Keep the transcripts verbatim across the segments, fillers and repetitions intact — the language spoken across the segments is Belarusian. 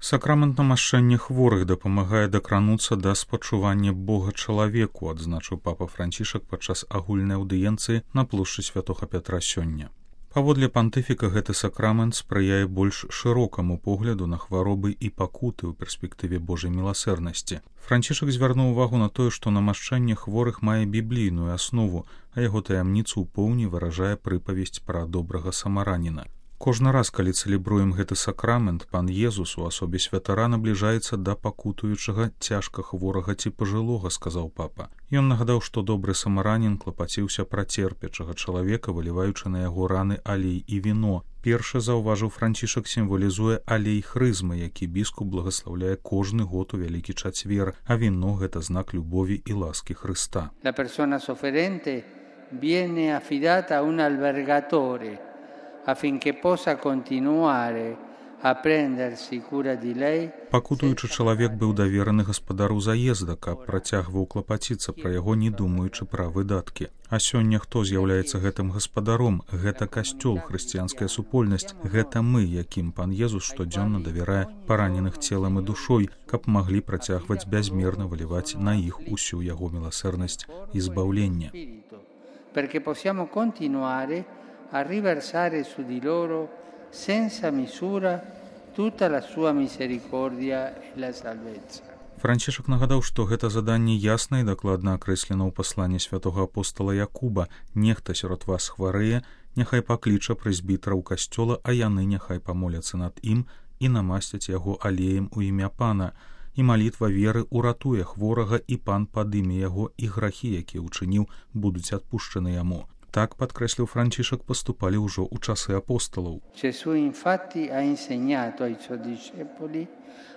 Сакрамент намашчэння хворых дапамагае дакрануцца да спачування Бога чалавеку, адзначыў папа Францішак падчас агульнай аўдыенцыі на плошчы святога Пятра сёння. Паводле пантыфіка гэты сакрамент спрыяе больш шырокаму погляду на хваробы і пакуты ў перспектыве Божай міласэрнасці. Францішак звярнуў увагу на тое, што намашчэнне хворых мае біблійную аснову, а яго таямніцу ў поўні выражае прыпавесць пра добрага самараніна. Кожны раз, калі цэлебруем гэты сакрамент, пан Езус у асобе святара набліжаецца да пакутуючага цяжка хворага ці пажылога, сказаў папа. Ён нагадаў, што добры самаранін клапаціўся пра церпячага чалавека, выліваючы на яго раны алей і віно. Першы, заўважыў Францішак, сімвалізуе алей хрызмы, які біскуп благаслаўляе кожны год у вялікі чацвер, а віно – гэта знак любові і ласкі Хрыста. La persona sofferente viene affidata a un albergatore affinché possa continuare a prendersi cura di lei. Пакутуючы чалавек быў давераны гаспадару заезда, каб працягваў клапаціцца пра яго, не думаючы пра выдаткі. А сёння хто з'яўляецца гэтым гаспадаром? Гэта касцёл, хрысціянская супольнасць. Гэта мы, якім пан Езус штодзённа давярае параненых целам і душой, каб маглі працягваць бязмерна выліваць на іх усю яго міласэрнасць і збаўлення. Perché possiamo continuare a riversare su di loro senza misura tutta la sua misericordia e la salvezza. Францішак нагадаў, што гэта заданне ясна і дакладна акрэслена ў пасланні святога апостала Якуба. Нехта сярод вас хварэе, няхай пакліча прэзбітараў касцёла, а яны няхай памоляцца над ім і намасцяць яго алеем у імя пана. І малітва веры уратуе хворага, і пан падыме яго, і грахі, якія ўчыніў, будуць адпушчаны яму. Так, падкрэсліў Францішак, паступалі ўжо ў часы апостолаў. Gesù infatti ha insegnato ai suoi discepoli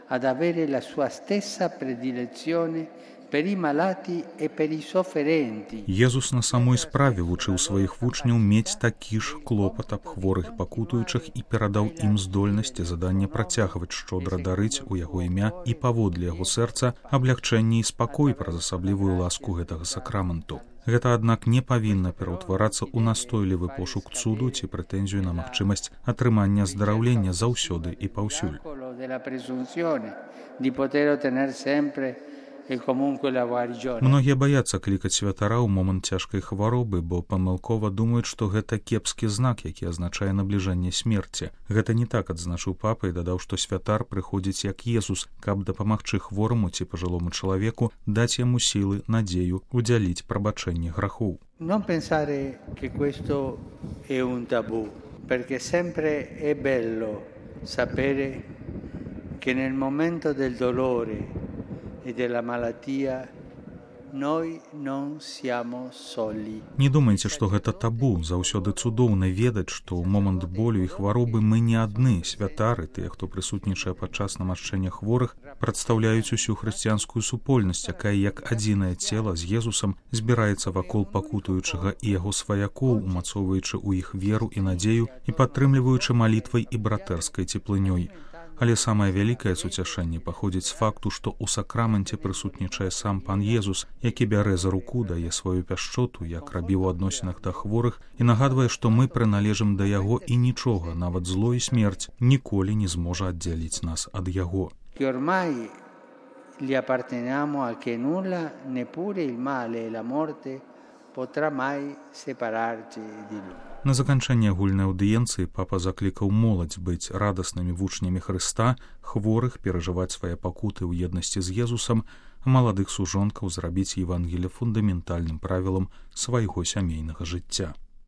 ad avere la sua stessa predilezione per i malati e per i sofferenti. Езус на самой справе вучыў сваіх вучняў мець такі ж клопат аб хворых пакутуючых і перадаў ім здольнасць і заданне працягваць шчодра дарыць у яго імя і паводле яго сэрца аблягчэнне і спакой праз асаблівую ласку гэтага сакраменту. Гэта, аднак, не павінна пераўтварацца ў настойлівы пошук цуду ці прэтэнзію на магчымасць атрымання аздараўлення заўсёды і паўсюль. Многія баяцца клікаць святара ў момант цяжкай хваробы, бо памылкова думаюць, што гэта кепскі знак, які азначае набліжэнне смерці. Гэта не так, адзначыў папа і дадаў, што святар прыходзіць як Езус, каб дапамагчы хвораму ці пажылому чалавеку даць яму сілы, надзею, удзяліць прабачэнне грахоў. Non pensare che questo è un tabù, perché sempre è bello sapere che nel momento del dolore e della malattia noi non siamo soli. Не думайце, што гэта табу. Заўсёды цудоўна ведаць, што ў момант болю і хваробы мы не адны. Святары, тыя, хто прысутнічае падчас намашчэння хворых, прадстаўляюць усю хрысціянскую супольнасць, якая як адзінае цела з Езусам збіраецца вакол пакутуючага і яго сваякоў, умацоўваючы ў іх веру і надзею і падтрымліваючы малітвай і братэрскай цеплынёй. Але самае вялікае суцяшэнне паходзіць з факту, што ў сакраменце прысутнічае сам пан Езус, які бярэ за руку, дае сваю пяшчоту, як рабіў у адносінах да хворых, і нагадвае, што мы прыналежым да яго і нічога, нават зло і смерць, ніколі не зможа аддзяліць нас ад яго. Che ormai gli apparteniamo a che nulla, neppure il male e la morte potrà mai separarci di lui. На заканчэнне агульнай аўдыенцыі папа заклікаў моладзь быць радаснымі вучнямі Хрыста, хворых перажываць свае пакуты ў еднасці з Езусам, а маладых сужонкаў зрабіць Евангелле фундаментальным правілам свайго сямейнага жыцця.